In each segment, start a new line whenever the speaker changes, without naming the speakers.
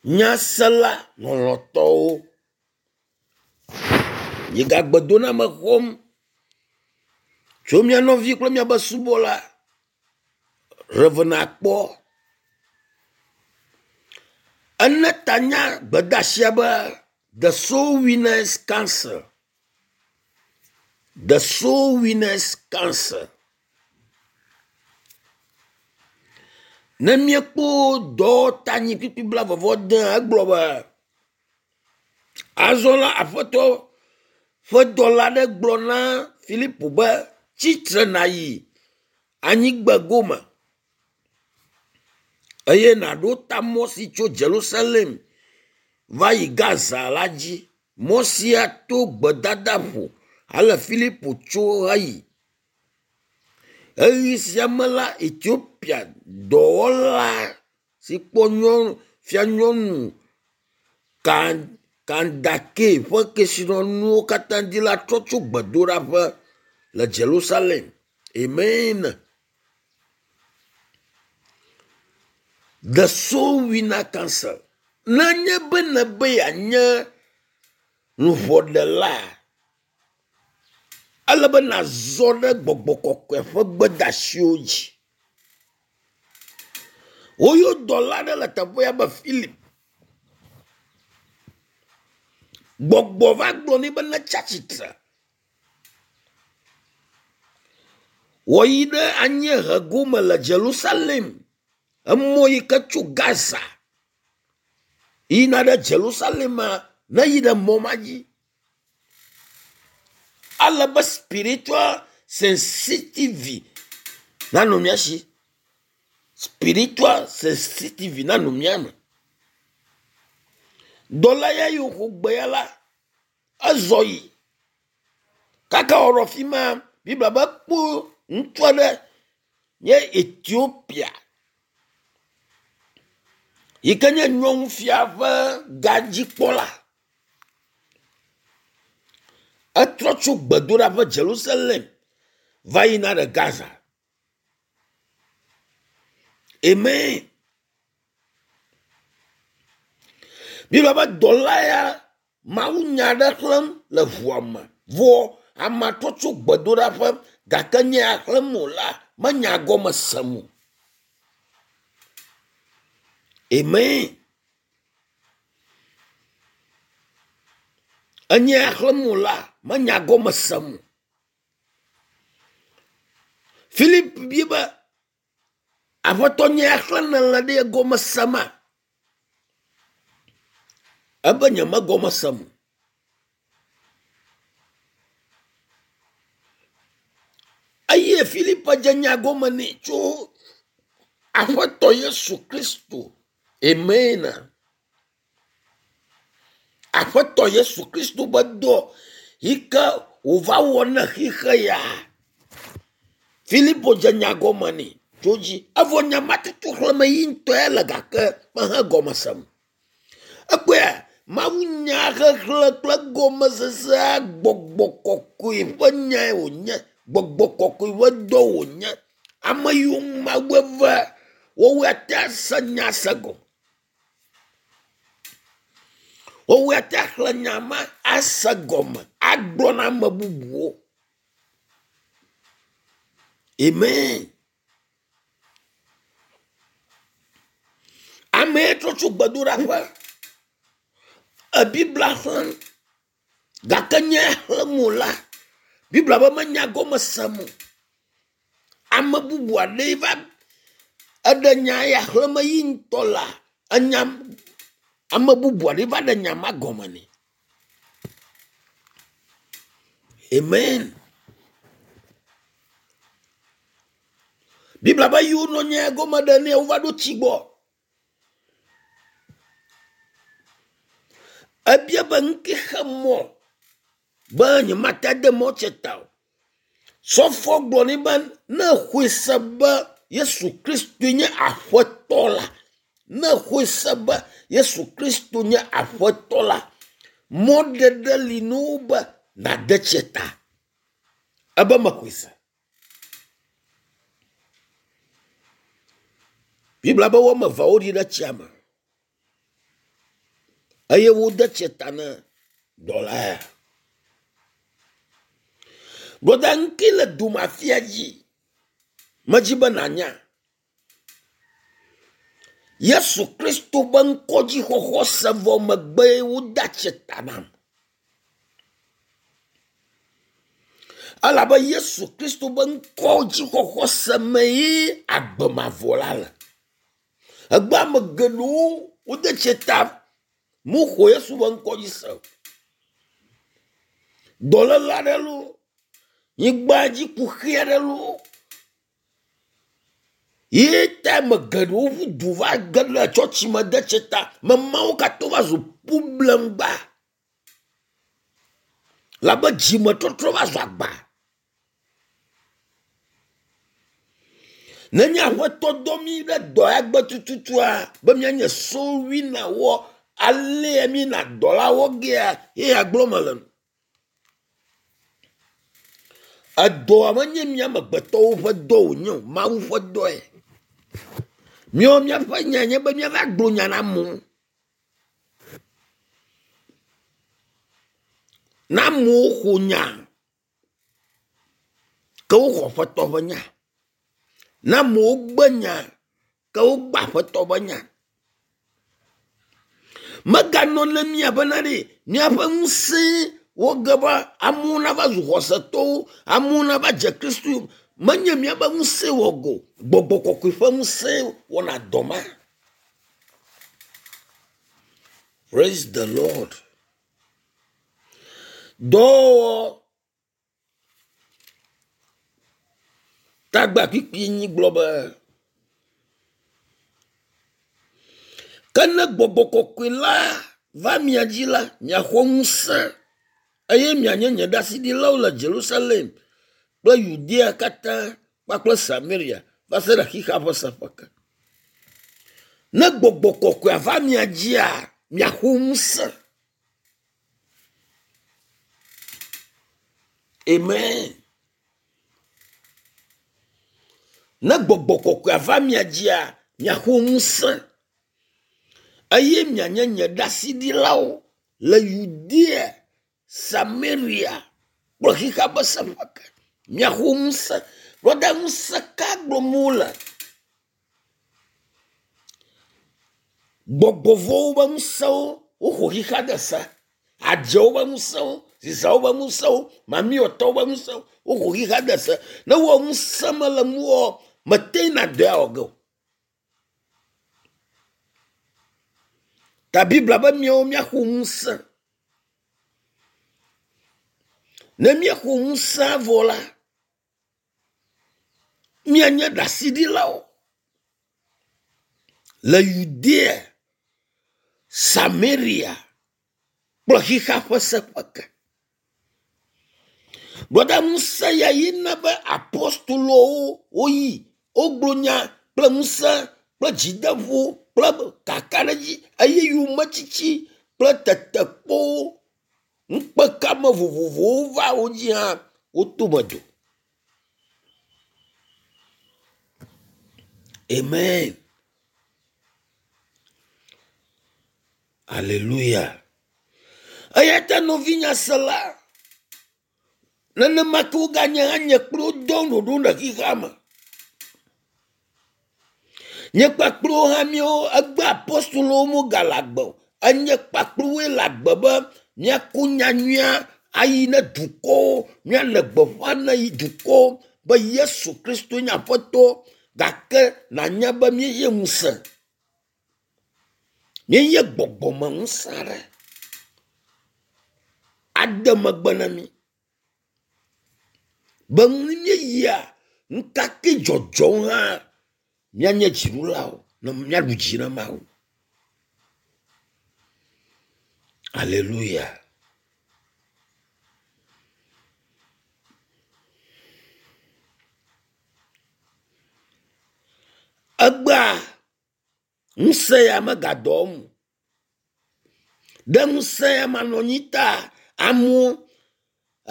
Nyasela lɔlɔ̃tɔwo, miegagbe doname xɔm tso mia nɔvi kple miaƒe subɔla Rev. Akpɔ. Ene ta na gbedeasia be the soul winners council. The soul winners council. Ne míekpɔ dɔwɔtanyi kpukpui blaeve-vɔ-ade egblɔ be, Azɔ la Aƒetɔ ƒe dɔla aɖe gblɔ na Filipo be, tsitre nàyi anyigbe gome eye nàɖo ta mɔ si tso Yerusalem va yi Gaza la dzi. Mɔ sia to gbedadaƒo ale Filipo tso heyi. Ɣeyiɣi sia me la, Etiopia dɔwɔla si kpɔ nyɔnu fianyɔnu Kandake ƒe kesinɔnuwo katã dzi la trɔ tso gbedoɖaƒe le Yerusalem. Amen. The Soul Winner Council. Nenye be nèbe yeanye luʋɔɖela, ele be nàzɔ ɖe gbɔgbɔ kɔkɔe ƒe gbedeasiwo dzi. Woyɔ dɔla aɖe le teƒea be Philip. Gbɔgbɔ va gblɔ nɛ be netsi atsitre. Wòyi ɖe anyiehe gome le Yerusalem. Emɔ yi ke tso Gaza yina ɖe Yerusalema neyi ɖe mɔ ma dzi. Ale be spiritual sensitive nanɔ mía si. Spiritual sensitive nanɔ mía me. Dɔla ya yi woxɔ gbe ya la, ezɔ yi. Kaka wònɔ afi ma, Biblia be ekpɔ ŋutsu aɖe nye Etiopia yi ke nye nyɔnufia ƒe gadzikpɔla. Etrɔ tso gbedoɖaƒe Jerusalem va yina ɖe Gaza. Amen. Biblia be dɔla ya mawunya aɖe xlẽm le ʋua me vɔ amea trɔ tso gbedoɖaƒe gake nye ya xlẽm wòlea menya gɔme sem o. Amen. Enye ya xlẽm wòlea menya gɔme sem o. Philip bia be Aƒetɔ nye ya xlẽ nèle ɖe gɔme sema? Ebe nyemegɔme sem o. Eye Filipe dze nya gɔme nɛ tso Aƒetɔ Yesu Kristo. Amen. Aƒetɔ Yesu Kristo be dɔ yi ke wòva wɔ ne xixe ya. Filipo dze nya gɔme nɛ tso dzi. Evɔ nya ma tutu xlẽme yi ŋutɔe le gake mehe gɔme sem. Ekpɔea mawunya xexlẽ kple gɔmesesea gbɔgbɔ kɔkɔe ƒe nyae wònye. Gbɔgbɔ kɔkɔe ƒe dɔ wònye. Ame yiwo ŋu Mawu eve woawoe ate ase nya se gɔme. Woawoe ate axlẽ nya ma ase gɔme agblɔ na ame bubuwo. Amen. Amee trɔ tso gbedoɖaƒe. Ebiblia xlẽm gake nye xlẽm o la, Biblia be menya gɔme sem o. Ame bubu aɖee va eɖe nya ya xlẽm yi ŋutɔ la, enya ame bubu aɖee va ɖe nya ma gɔme nɛ. Amen. Biblia be yi wonɔ nya gɔme ɖe nɛ wova ɖo tsi gbɔ. Ebia be ŋke xe mɔ be nyemate ade mɔ tse ta o. Sɔfoa gblɔ nɛ be ne exɔe se be Yesu Kristoe nye Aƒetɔ la, ne exɔe se be Yesu Kristo nye Aƒetɔ la, mɔɖeɖe li na wo be nàde tsia ta. Ebe mexɔe se. Biblia be woame evea woɖi ɖe tsia me. Eye wode tsia ta na dɔla ya. Broda ŋke le dome afia dzi. Medzi be nànya. Yesu Kristo be ŋkɔdzixɔxɔ se vɔ megbee wode tsia ta nam. Elabe Yesu Kristo be ŋkɔdzixɔxɔ se me ye agbe mavɔ la le. Egbe ame geɖewo wode tsia ta moxɔ Yesu be ŋkɔ dzi se o. Dɔléle aɖe loo, nyigba dzi kuxi aɖe loo ye ta ame geɖewo ƒu du va ge ɖe tsɔtsi me de tsia ta. Ame mawo katã va zu problemgba labe dzimetɔtrɔ va zu agba. Nenye aƒetɔ dɔ mí ɖe dɔ ya gbe tututua be míanye sowinawo alea míena dɔ la wɔ gea ye ya gblɔm mele nu. Edɔa menye mía amegbetɔwo ƒe dɔ wònye o, Mawu ƒe dɔe. Míawo míaƒe nya nye be míava gblɔ nya na amewo. Ne amewo xɔ nya ke woxɔ Aƒetɔ ƒe nya. Ne amewo gbe nya ke wogbe Aƒetɔ ƒe nya. Meganɔ ne mía bena ɖe míaƒe ŋusẽ woge be amewo nava zu xɔsetɔwo, amewo nava dze Kristo yome. Menye míaƒe ŋusẽ wɔ go, gbɔgbɔ kɔkɔe ƒe ŋusẽ wɔna dɔ ma. Praise the Lord. Dɔwɔwɔ tagba kpikpi nyi gblɔ be ke ne gbɔgbɔ kɔkɔe la va mia dzi la, miaxɔ ŋusẽ eye mianye nye ɖaseɖilawo le Jerusalem kple Yudea katã kpakple Samaria va se ɖe xexea ƒe seƒe ke. Ne gbɔgbɔ kɔkɔea va mia dzia, miaxɔ ŋusẽ. Amen. Ne gbɔgbɔ kɔkɔea va mia dzia, miaxɔ ŋusẽ eye mianye nye ɖaseɖilawo le Yudea, Samaria kple xexea ƒe seƒe ke. Miaxɔ ŋusẽ. Brɔda ŋusẽ ka gblɔm wole? Gbɔgbɔ vɔ̃wo ƒe ŋusẽwo woxɔ xexea de se. Adzewo ƒe ŋusẽwo, zizawo ƒe ŋusẽwo, mamiɔtɔwo ƒe ŋusẽwo woxɔ xexea de se. Ne wɔ ŋusẽ mele ŋuwò mete na dɔ ya wɔ ge o. Ta Biblia be míawo míaxɔ ŋusẽ. Ne míexɔ ŋusẽ vɔ la, míanye ɖaseɖilawo le Yudea, Samaria kple xexea ƒe seƒe ke. Brɔda ŋusẽ ya ye na be apostolowo woyi wogblɔ nya kple ŋusẽ kple dzideƒo kple kakaɖedzi eye yometsitsi kple tetekpɔwo ŋukpekame vovovowo va wo dzi hã woto me do. Amen. Aleluya. Eya ta nɔvinyasela, nenema ke woganye hã nye kple wo dɔ ɖoɖo le xexea me. Nye kpakple wo hã míawo egbe apostolowo megale agbe o. Enye kpakple woe le agbe be míako nyanyuia ayi ne dukɔwo, míale gbeƒã ne yi dukɔwo be Yesu Kristo nye Aƒetɔ gake nànya be míeye ŋusẽ. Míeye gbɔgbɔme ŋusẽ aɖe ade megbe na mí. Be ne míeyia nukake dzɔdzɔm hã míanye dziɖulawo ne míaɖu dzi na Mawu. Aleluya. Egbea ŋusẽ ya megadɔ wɔm o. Ɖe ŋusẽ ya manɔ anyi ta amewo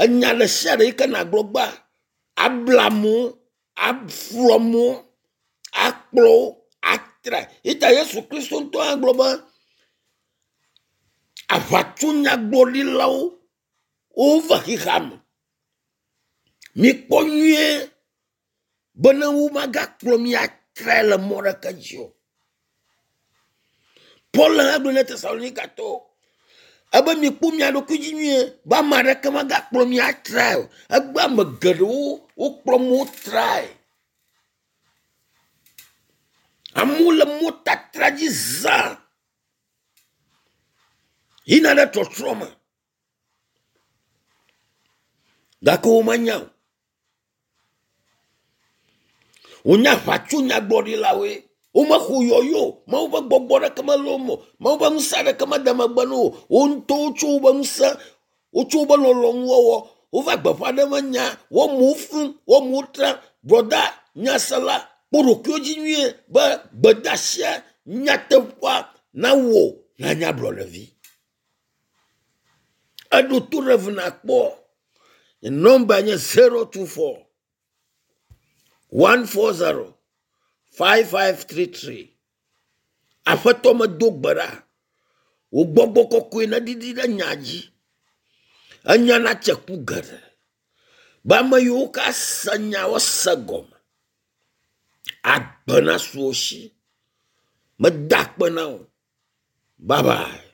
enya ɖe sia ɖe yi ke nàgblɔ gbea abla amewo, aflu amewo, akplɔ wo, atrae. Eyi ta Yesu Kristo ŋutɔ hã gblɔ be. Aʋatsonyagblɔɖilawo wova xexea me. Mikpɔ nyuie bene womagakplɔ mi atrae le mɔ ɖeke dzi o. Paul hã gblɔ na Tesalonikatɔwo ebe mikpɔ mia ɖokui dzi nyuie be ame aɖeke magakplɔ mi atrae o. Egbe ame geɖewo wokplɔ amewo trae. Amewo le mɔtatra dzi zã yina ɖe trɔtrɔ me gake womenya o. Wonye aʋatsonyagblɔɖilawoe. Womexɔ yɔyɔ o. Mawu ƒe gbɔgbɔ ɖeke mele wo me o. Mawu ƒe ŋusẽ aɖeke mede megbe na wo o. Wo ŋutɔwo tso woƒe ŋusẽ, wotso woƒe lɔlɔ̃nuwɔwɔ, wova gbeƒã ɖem nya, wo amewo flum, wo amewo tram. Brɔda nyasela, kpɔ ɖokuiwo dzi nyuie be gbedeasia nyateƒea nawò nànye ablɔɖevi. Eɖo to ɖe eve nakpɔ. Nye nɔmba nye 024 140 5533. Aƒetɔ medo gbe ɖa. Wò gbɔgbɔ kɔkɔe neɖiɖi ɖe nya dzi. Enya natse ku geɖe. Be ame yiwo ka se nya woase gɔme. Agbe nasu wo si. Meda akpe na wò. Bye bye.